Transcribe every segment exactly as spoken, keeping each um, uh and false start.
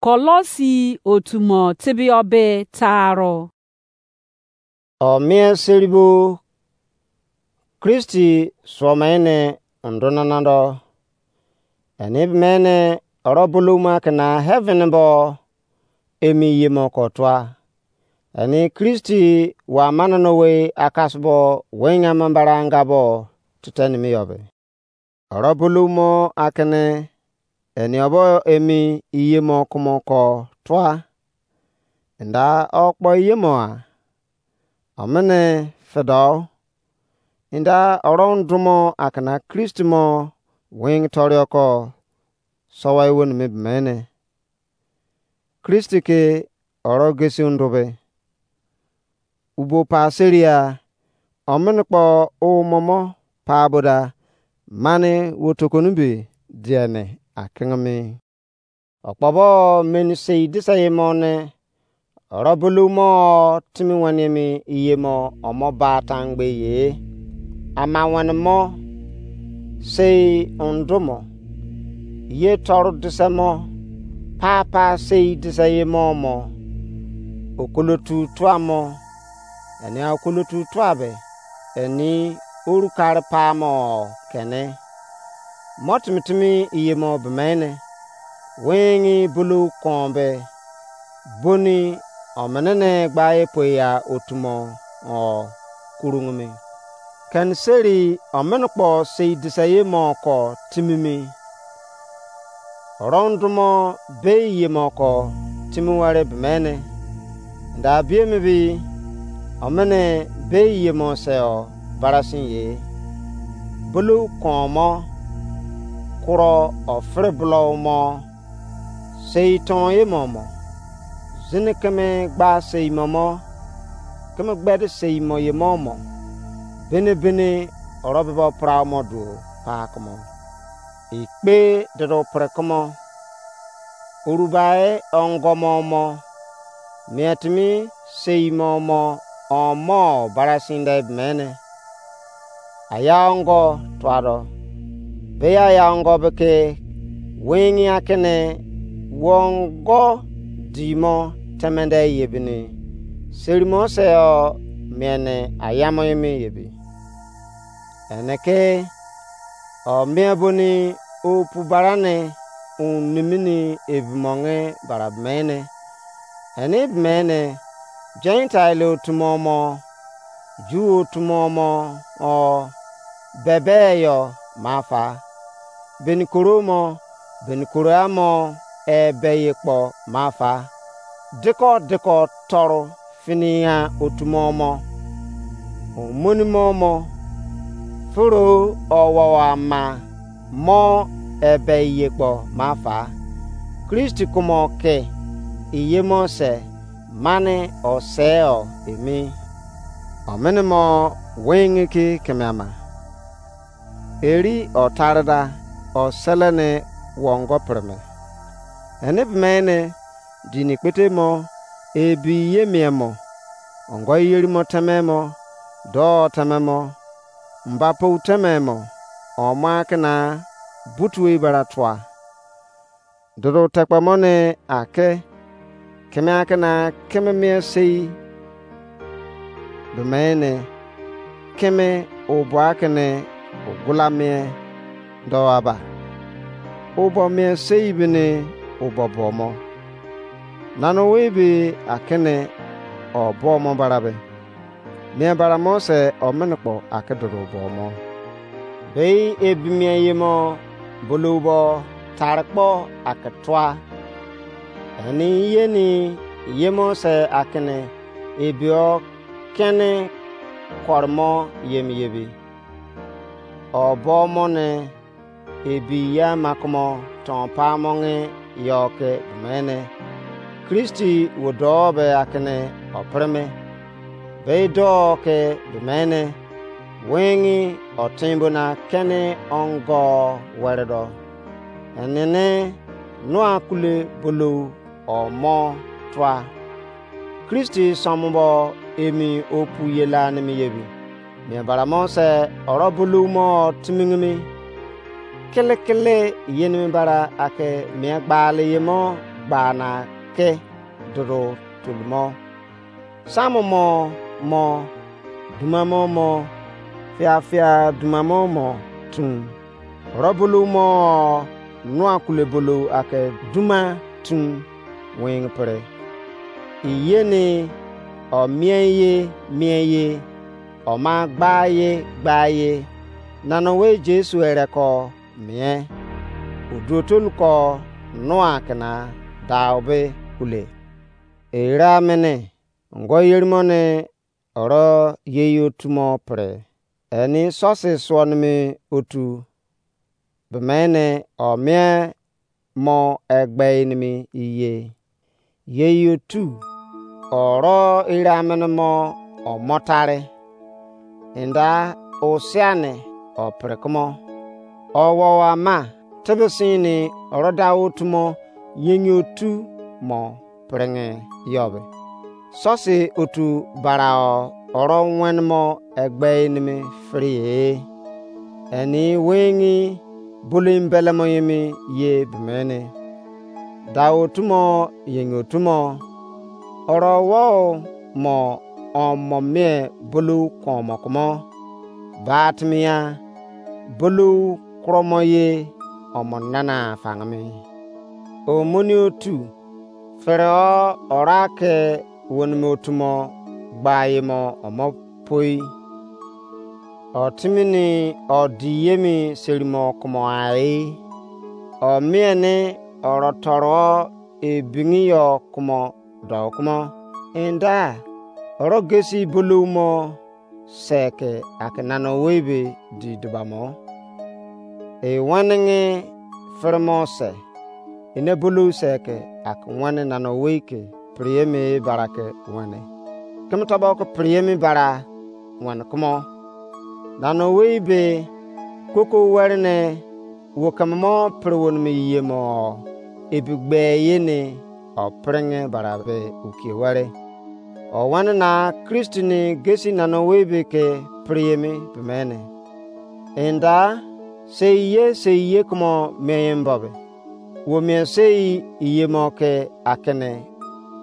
Kolosi otu mo tebeyọ be taaro. O mien seribo Kristi suo mo ene undo nana do, eni be mene oro bolou mo ake na heaven bo emi ye mo ko tua. Eni Kristi wa mane no we akasbo wenya mambara anga bo tete nimi yo be. Oro bolou mo akene eni obo emi iye mo kumo ko tua. Nda okpo iye mo a. Omene fedo. Nda oro ndumo akena Kristi mo wing torioko sowa ewo nimi bemene. Kristi ke oro gesi ndube. Ubo pa seria, omene kpo umomo pa boda, mane wo tokoni be diene akengeme. Okpobo meni sei dise ye mo ne, oro bolou mo timi wene mi iye mo omo ba tangbe ye. Ama wene mo sei undo mo, ye toru dise mo, papa sei dise ye mo mo, okolotu tua mo, eni okolotu tua be, eni oru kare pa mo kene. Mo timi timi iye mo bemene, wengi bolou kon be, boni omene ne gba epo ya otu mo o kurungumi. Keni seri omene kpo sei dise ye mo ko timimi. Oro ndumo be ye mo ko timi were bemene. Nda bie mi bi omene be ye mo se o barasin ye. Bolou kon mo, kuro ofere bolou mo, sei ton ye mo mo, zini keme gba sei mo mo, keme gbede sei mo ye mo mo, bene bene oro bebo pra mo duo pa kumo. Ikpe dodo pre kumo. Orubai ongo mo mo, mietimi sei mo mo omo barasin de mene. Aya ongo tuado. Be aya ongo be ke wengi akene wongo di mo temende ye bini. Serimo se o mene ayamo emi ye bi. Ene ke o mie boni opu barane un nimini ebi monge bara mene. Ene ebi mene Gentile otu mo mo, Ju otu mo mo o bebe yo mafa. Beni koro mo, beni koro amo ebe ye kpo mafa. Diko diko toru fini ya otu mo mo. Omoni mo mo, furu owowo ama mo ebe iye kpo mafa. Kristi kumo ke iye mo se mane o se o emi. Omene mo wengi ki keme ama. Eri o tarda o selene wongo preme. Ene bemene dini kpete mo, ebi ye mie mo, ongo yeri mo teme mo, do teme mo, mba pou teme mo, omo akena butu ebara tua. Dodo tekpe mo ne ake, keme akena keme mie sei bemene, keme obo akene ogula mie do aba. Obo mie sei bene obo bo mo. Nano we be akene obo mo barabe. Mie bara mo se omene kpo ake dodo bo mo. Bei ebi mie ye mo bolou bo tare kpo ake tua. Eni yeni ye mo se akene ebi o kene kore mo yem yebi. O bo mo ne ebi ya makumo ton pa monge yo ke bemene. Kristi wo do be akene o preme. Be do ke bemene. Wengi o timbo na kene ongo were do. Enene nua kule bolou o mo tua. Kristi somo bo emi opu ye la nimi yebi. Mie bara mo se oro bolou mo timingimi. Kele kele yenimi bara ake mie gbali ye mo gba na ke dodo tolumo. Samumo mo, dumamo mo, fiafia dumamo mo tum. Oro bolou mo nua kule bolou ake duma tum wing pre. Iyeni o mien ye mien ye, o ma gba ye gba ye. Nana we Jesu ere ko mien. Oduotolu ko nua kena dau be kule. Era mene ngo yerimo ne oro yei otu mo pre. Eni sosi suo nimi otu bemene o mie mo egbe nimi iye. Yei otu oro ira mene mo omotare. Enda osiane o pre kumo. Owowo ama tebe sini oro da otu mo yenye otu mo pringe yobe. Sosi otu barao oro wenmo egbe enimi frie. Eni wengi bulu imbelemo yemi ye bemene. Da otu mo yenye otu mo. Oro wo mo omo mie bulu komo kumo. Ba timia bulu kromo ye omo nana fangimi. Omoni otu fere o ora ke wonimi otu mo gba ye mo omo poi. O timini o di yemi serimo kumo ai. O mie ni oro toro ebingi yo kumo do kumo. Enda oro gesi bolou mo se ke ake nana owei be di dubamo. E wenenge firimo se ene bolou se ke ake wene nana owei ke prieme bara ke wene. Keme tobo ke prieme bara wene kumo. Nana owei be koko were ne wo keme mo pre wonimi yie mo ebi gbe ye ne o pringe bara be ukie were. O wene na Kristi ni gesi nana owei be ke priemi bemene. Enda sei ye sei ye kumo mien mbobe. Wo mien sei iye mo ke akene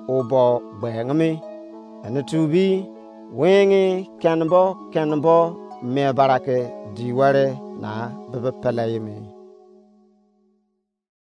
obo gbengimi. Ene tu bi wengi kenbo kenbo mie bara ke di were na bebe pele yemi.